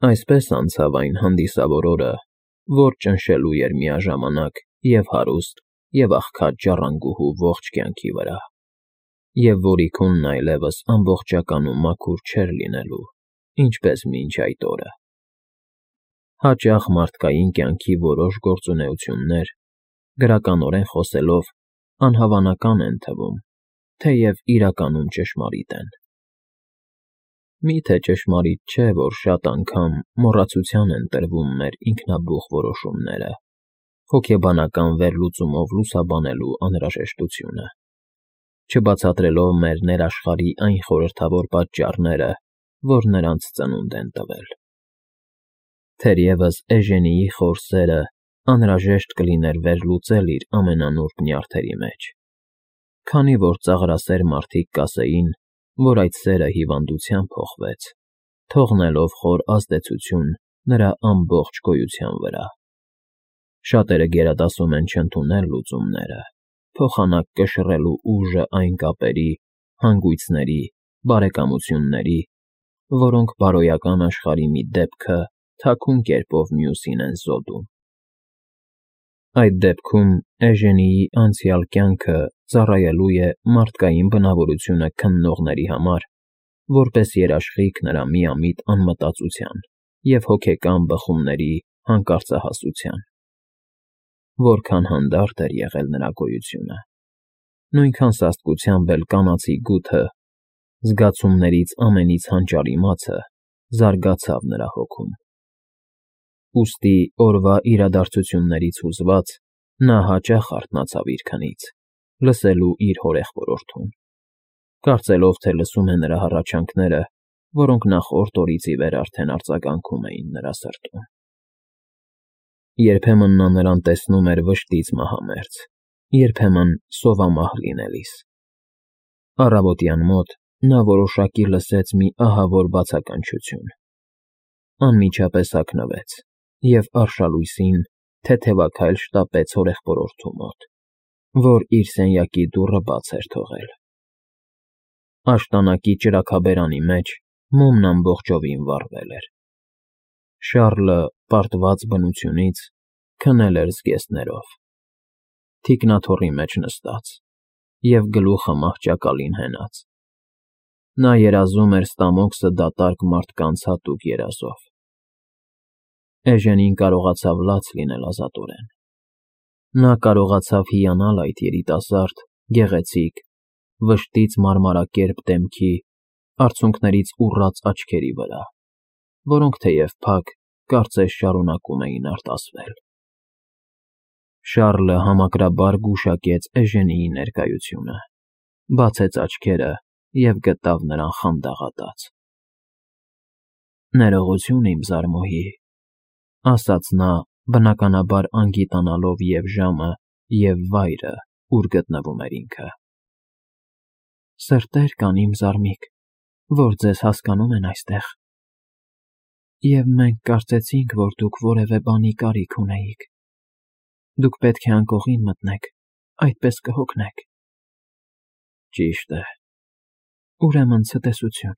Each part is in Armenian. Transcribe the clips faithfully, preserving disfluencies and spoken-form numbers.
Այսպես անցավ այն հանդիսավոր օրը, որ ճնշելու էր միաժամանակ և հարուստ, և աղքատ ժառանգուհու ողջ կյանքի վրա, և որի քունն այլևս ամբողջական ու մաքուր չէր լինելու, ինչպես մինչ այդ օրը։ Հաճախ մարդկային կյանքի որոշ գործունեություններ, գրականորեն խոսելով, անհավանական են թվում, թեև իրականում ճշմարիտ են։ Մի՞թե ճշմարիտ չէ, որ շատ անգամ մոռացության են տրվում մեր ինքնաբուխ որոշումները, հոգեբանական վերլուծումով լուսաբանելու անհրաժեշտությունը, չբացատրելով մեր ներաշխարհի այն խորհրդավոր պատճառները, որ նրանց ծնունդ են տվել։ Թերևս Էժենիի խոր սերը անհրաժեշտ կլիներ վերլուծել իր ամենանուրբ նյարդերի մեջ, քանի որ ծաղրասեր մարդիկ կասեին, որ այդ սերը հիվանդության փոխվեց, թողնելով խոր ազդեցություն նրա ամբողջ գոյության վրա։ Շատերը գերադասում են չընդունել լուծումները, փոխանակ կշռելու ուժը այն կապերի, հանգույցների, բարեկամությունների, որոնք բարոյական աշխարհի մի դեպքը թաքուն կերպով մյուսին են զոդում։ Այդ դեպքում Էժենիի անցյալ կյանքը ծառայելու է մարդկային բնավորությունը քննողների համար, որպես երաշխիք նրա միամիտ անմտածության և հոգեկան բխումների հանկարծահասության։ Որքան հանդարտ էր եղել նրա գոյությունը, նույնքան սաստկությամբ էլ կանացի գութը, զգացումներից ամենից հանճարիմացը զարգացավ նրա հոգում։ Ուստի օրվա իրադարձություններից հուզված՝ նա հաճախ արթնացավ իր քնից, լսելու իր հորեղբորորդուն, կարծելով, թե լսում է նրա հառաչանքները, որոնք նախորդ օրից ի վեր արդեն արձագանքում էին նրա սրտում։ Երբեմն նա նրան տեսնում էր վշտից մահամերձ, երբեմն սովամահ լինելիս։ Առավոտյան մոտ նա որոշակի լսեց մի ահավոր բացականչություն, անմիջապես հագնվեց և արշալույսին թեթևաքայլ շտապեց հորեղբորորդու մոտ, որ իր սենյակի դուռը բաց էր թողել։ Աշտանակի ճրագաբերանի մեջ մոմն ամբողջովին վառվել էր։ Շառլը, պարտված բնությունից, քնել էր զգեստներով, թիկնաթոռի մեջ նստած և գլուխը մահճակալին հենած։ Նա երազում էր ստամոքսը դատարկ մարդկանց հատուկ երազով։ Էժենին կարողացավ լաց լինել ազատորեն։ Նա կարողացավ հիանալ այդ երիտասարդ, գեղեցիկ, վշտից մարմարակերպ դեմքի, արցունքներից ուռած աչքերի վրա, որոնք թեև փակ, կարծես շարունակում էին արտասվել։ Շառլը համակրաբար գուշակեց Էժենիի ներկայությունը, բացեց աչքերը և գտավ նրան խանդաղատած։ «Ներողություն, իմ զարմուհի», ասաց նա, բնականաբար անգիտանալով և ժամը, և վայրը, ուր գտնվում էր ինքը։ «Սրտեր կան, իմ զարմիկ, որ ձեզ հասկանում են այստեղ, և մենք կարծեցինք, որ դուք որևէ բանի կարիք ունեիք։ Դուք պետք է անկողին մտնեք, այդպես կհոգնեք»։ «Ճիշտ է»։ «Ուրեմն ցտեսություն»։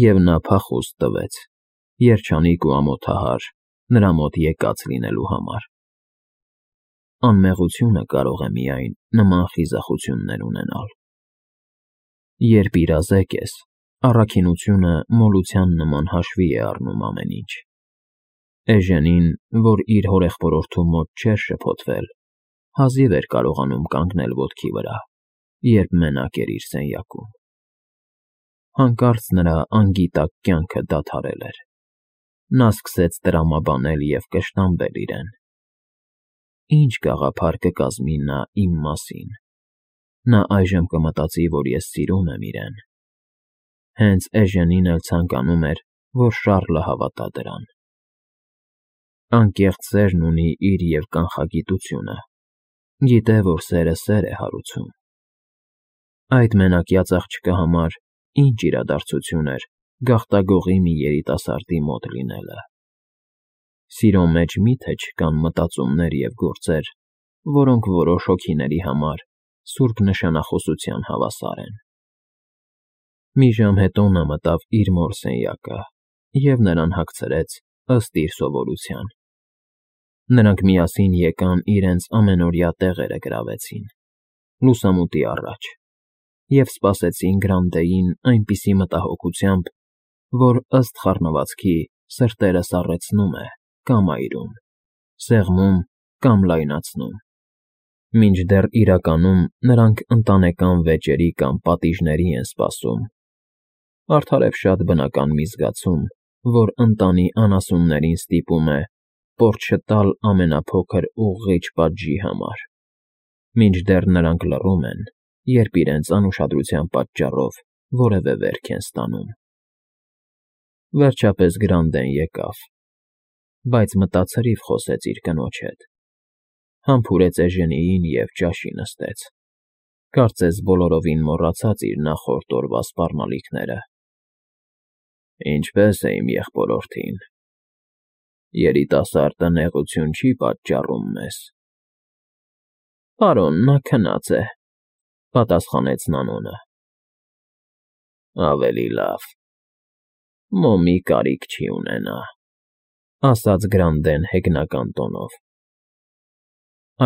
Եվ նա փախուստ տվեց, երջանիկ ու ամոթահար նրա մոտ եկած լինելու համար։ Անմեղությունը կարող է միայն նման խիզախություններ ունենալ։ Երբ իրազեկ ես, առաքինությունը մոլության նման հաշվի է առնում ամեն ինչ։ Էժենին, որ իր հորեղբորորդու մոտ չէր շփոթվել, հազիվ էր կարողանում կանգնել ոտքի վրա, երբ մենակ էր իր սենյակում։ Հանկարծ նրա անգիտակ կյանքը դադարել էր։ Նա սկսեց տրամաբանել և կշտամբել իրեն։ Ինչ գաղափար կկազմի նա իմ մասին։ Նա այժմ կմտածի, որ ես սիրում եմ իրեն։ Հենց Էժենին էլ ցանկանում էր, որ Շառլը հավատա դրան։ Անկեղծ սերն ունի իր և կանխագիտությունը, գիտե, որ սերը սեր է հարուցում։ Այդ մենակյաց աղջկա համար ինչ իրադարձություն էր գաղտագողի մի երիտասարդի մոտ լինելը։ Սիրո մեջ մի՞թե չկան մտածումներ և գործեր, որոնք որոշ հոգիների համար սուրբ նշանախոսության հավասար են։ Մի ժամ հետո նա մտավ իր մոր սենյակը և նրան հագցրեց ըստ իր սովորության։ Նրանք միասին եկան իրենց ամենօրյա տեղերը գրավեցին, լուսամուտի առաջ, և սպասեցին Գրանտեին այնպիսի մտահոգությամբ, որ ըստ խառնվածքի սրտերը սառեցնում է կամ այրում, սեղմում կամ լայնացնում, մինչդեռ իրականում նրանք ընտանեկան վեճերի կամ պատիժների են սպասում, արդարև շատ բնական մի զգացում, որ ընտանի անասուններին ստիպում է պորճ չտալ ամենափոքր ուղղիչ պատժի համար, մինչդեռ նրանք լռում են, երբ իրենց անուշադրության պատճառով որևէ վերք են ստանում։ Վերջապես Գրանդեն եկավ, բայց մտացրիվ խոսեց իր կնոջ հետ, համբուրեց Էժենիին և ճաշի նստեց, կարծես բոլորովին մոռացած իր նախորդ օրվա սպառնալիքները։ Ինչպե՞ս է իմ եղբորորդին, երիտասարդը նեղություն չի՞ պատճառում մեզ։ Պարոն, նա քնած է,֊ պատասխանեց Նանոնը։ Ավելի լավ, մոմի կարիք չի ունենա,֊ ասաց Գրանդեն հեգնական տոնով։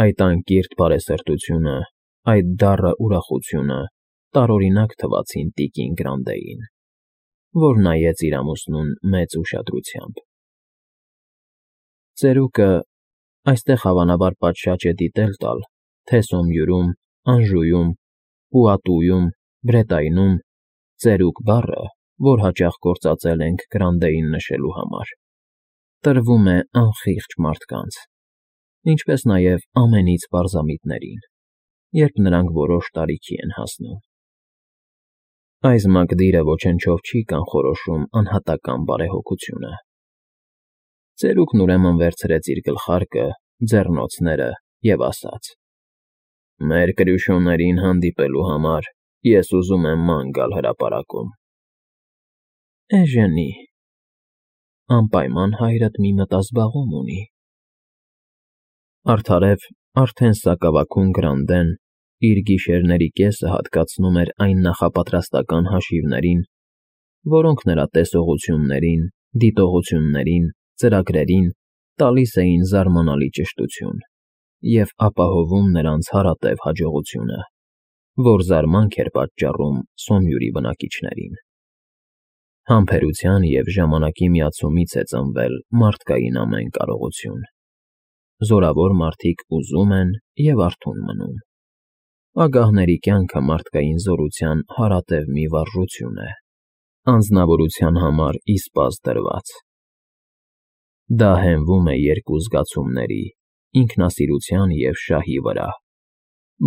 Այդ անկիրք բարեսրտությունը, այդ դառը ուրախությունը տարօրինակ թվացին տիկին Գրանտեին, որ նայեց իր ամուսնուն մեծ ուշադրությամբ։ Ծերուկը (այստեղ հավանաբար պատշաճ է դիտել տալ, թե Սոմյուրում, Անժուում, Պուատուում, Բրետայնում ծերուկ բառը, որ հաճախ գործածել ենք Գրանտեին նշելու համար, տրվում է անխիղճ մարդկանց, ինչպես նաև ամենից պարզամիտներին, երբ նրանք որոշ տարիքի են հասնում։ Այս մակդիրը ոչնչով չի կանխորոշում անհատական բարեհոգությունը։ Ծերուկն ուրեմն վերցրեց իր գլխարկը, ձեռնոցները և ասաց. «Մեր Կրյուշոներին հանդիպելու համար ես ուզում եմ ման գալ հրապարակում»։ Էժենի, անպայման հայրդ մի մտազբաղում ունի։ Արդարև արդեն սակավագուն Գրանդեն իր գիշերների կեսը հատկացնում էր այն նախապատրաստական հաշիվներին, որոնք նրա տեսողություններին, դիտողություններին, ծրագրերին տալիս էին զարմանալի ճշտություն և ապահովում նրանց հարատև հաջողությունը, որ զարմանք էր պատճառում Սոմյուրի բնակիչներին։ Համբերության և ժամանակի միացումից է ծնվել մարդկային ամեն կարողություն։ Զորավոր մարդիկ ուզում են և արթուն մնում։ Ագահների կյանքը մարդկային զորության հարատև մի վարժություն է, անձնավորության համար իսպազ դրված։ Դա հենվում է երկու զգացումների՝ ինքնասիրության և շահի վրա,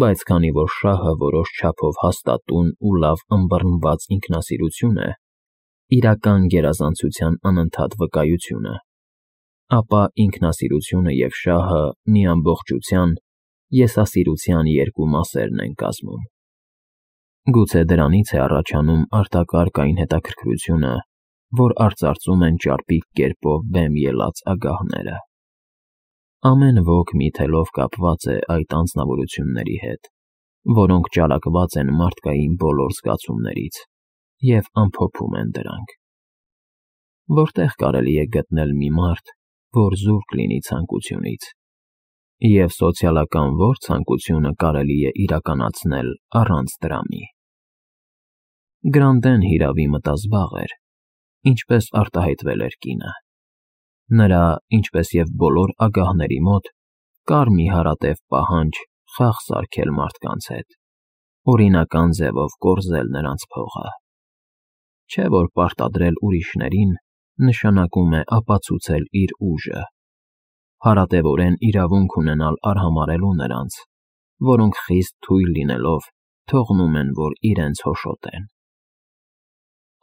բայց քանի որ շահը որոշ չափով հաստատուն ու լավ ըմբռնված ինքնասիրություն է, իրական գերազանցության անընդհատ վկայությունը, ապա ինքնասիրությունը և շահը մի ամբողջության՝ եսասիրության երկու մասերն են կազմում։ Գուցե դրանից է առաջանում արտակարգ այն հետաքրքրությունը, որ արծարծում են ճարպիկ կերպով բեմ ելած ագահները։ Ամեն ոք մի թելով կապված է այդ անձնավորությունների հետ, որոնք ճարակված են մարդկային բոլոր զգացումներից և ամփոփում են դրանք։ Որտե՞ղ կարելի է գտնել մի մարդ, որ զուրկ լինի ցանկությունից, և սոցիալական ո՞ր ցանկությունը կարելի է իրականացնել առանց տրամի։ Գրանդեն հիրավի մտազբաղ էր, ինչպես արտահայտվել էր կինը։ Նրա, ինչպես և բոլոր ագահների մոտ, կար մի հարատև պահանջ խաղ սարքել մարդկանց հետ, օրինական ձևով կորզել նրանց փողը։ Չէ՞ որ պարտադրել ուրիշներին նշանակում է ապացուցել իր ուժը, հարատևորեն իրավունք ունենալ արհամարհելու նրանց, որոնք խիստ թույլ լինելով թողնում են, որ իրենց հոշոտեն։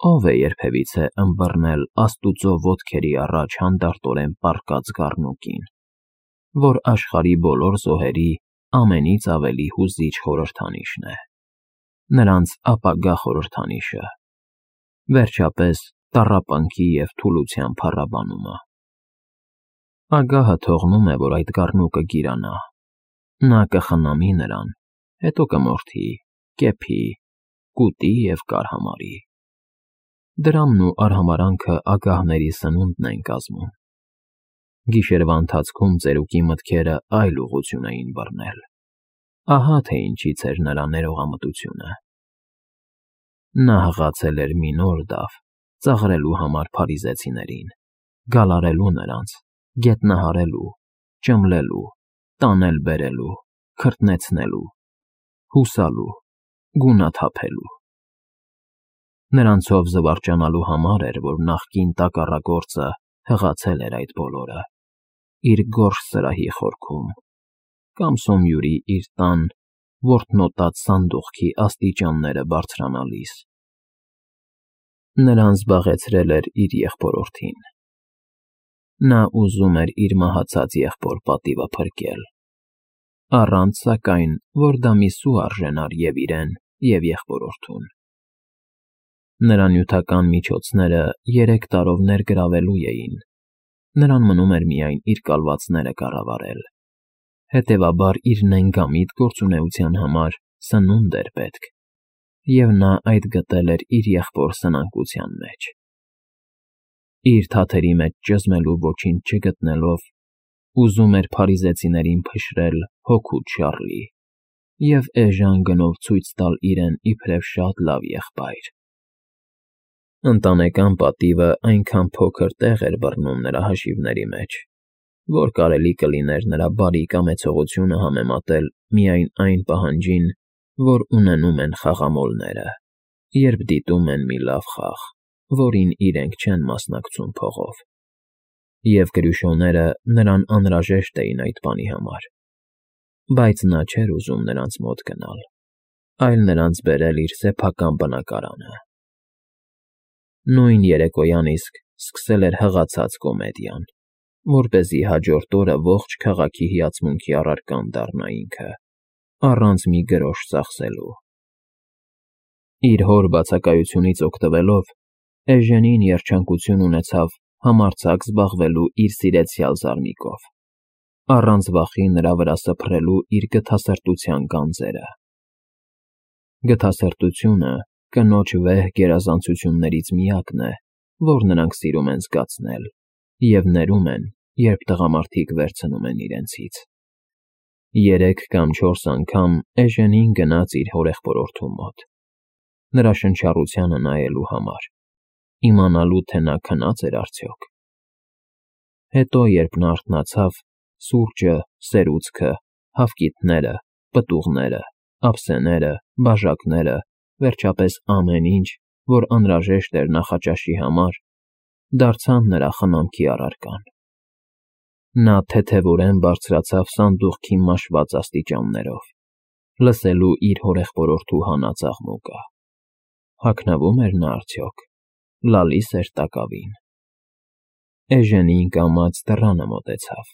Ո՞վ է երբևիցե ըմբռնել աստուծո ոտքերի առաջ հանդարտորեն պառկած գառնուկին, որ աշխարհի բոլոր զոհերի ամենից ավելի հուզիչ խորհրդանիշն է, նրանց ապագա խորհրդանիշը, վերջապես տառապանքի և թուլության փառաբանումը։ Ագահը թողնում է, որ այդ գառնուկը գիրանա, նա կխնամի նրան, հետո կմորթի, կեփի, կուտի և կարհամարի։ Դրամն ու արհամարանքը ագահների սնունդն են կազմում։ Գիշերվա ընթացքում ծերուկի մտքերը այլ ուղղություն էին բռնել։ Ահա թե ինչից էր նրա ներողամտությունը։ Նա հղացել էր մի նոր դավ ծաղրելու համար փարիզեցիներին, գալարելու նրանց, գետնահարելու, ճմլելու, տանել֊բերելու, քրտնեցնելու, հուսալու, գունաթափելու։ Նրանցով զվարճանալու համար էր, որ նախկին տակառագործը հղացել էր այդ բոլորը, իր գորշ սրահի խորքում, կամ Սոմյուրի իր տան որտնոտած սանդուղքի աստիճանները բարձրանալիս։ Նրան զբաղեցրել էր իր եղբորորդին։ Նա ուզում էր իր մահացած եղբոր պատիվը փրկել, առանց, սակայն, որ դա մի սու արժենար և իրեն, և եղբորորդուն։ Նրա նյութական միջոցները երեք տարով ներգրավելու էին, նրան մնում էր միայն իր կալվածները կառավարել, հետևաբար իր նենգամիտ գործունեության համար սնունդ էր պետք, և նա այդ գտել էր իր եղբոր սնանկության մեջ։ Իր թաթերի մեջ ճզմելու ոչինչ չգտնելով, ուզում էր փարիզեցիներին փշրել հոգուց շառլի և էժան գնով ցույց տալ իրեն իբրև շատ լավ եղբայր։ Ընտանեկան պատիվը այնքան փոքր տեղ էր բռնում նրա հաշիվների մեջ, որ կարելի կլիներ նրա բարի կամեցողությունը համեմատել միայն այն պահանջին, որ ունենում են խաղամոլները, երբ դիտում են մի լավ խաղ, որին իրենք չեն մասնակցում փողով, և կրյուշոները նրան անհրաժեշտ էին այդ բանի համար, բայց նա չէր ուզում նրանց մոտ գնալ, այլ նրանց բերել իր սեփական բնակարանը։ Նույն երեկոյան իսկ սկսել էր հղացած կոմեդիան, որպեսզի հաջորդ օրը ողջ քաղաքի հիացմունքի առարկան դառնա ինքը, առանց մի գրոշ ծախսելու։ Իր հոր բացակայությունից օգտվելով, Էժենին երջանկություն ունեցավ համարձակ զբաղվելու իր սիրեցյալ զարմիկով, առանց վախի նրա վրա սփռելու իր գթասրտության գանձերը։ Գթասրտությունը կնոջ վեհ գերազանցություններից միակն է, որ նրանք սիրում են զգացնել և ներում են, երբ տղամարդիկ վերցնում են իրենցից։ Երեք կամ չորս անգամ Էժենին գնաց իր հորեղբորորդու մոտ, նրա շնչառությանը նայելու համար, իմանալու, թե նա քնա՞ծ էր արդյոք։ Հետո, երբ նա արթնացավ, սուրճը, սերուցքը, հավկիթները, պտուղները, ափսեները, բաժակները, վերջապես ամեն ինչ, որ անհրաժեշտ էր նախաճաշի համար, դարձան նրա խնամքի առարկան։ Նա թեթևորեն բարձրացավ սանդուղքի մաշված աստիճաններով, լսելու իր հորեղբորորդու հանած աղմուկը։ Հագնվում էր նա արդյոք, լալիս էր տակավին։ Էժենին կամաց դռանը մոտեցավ։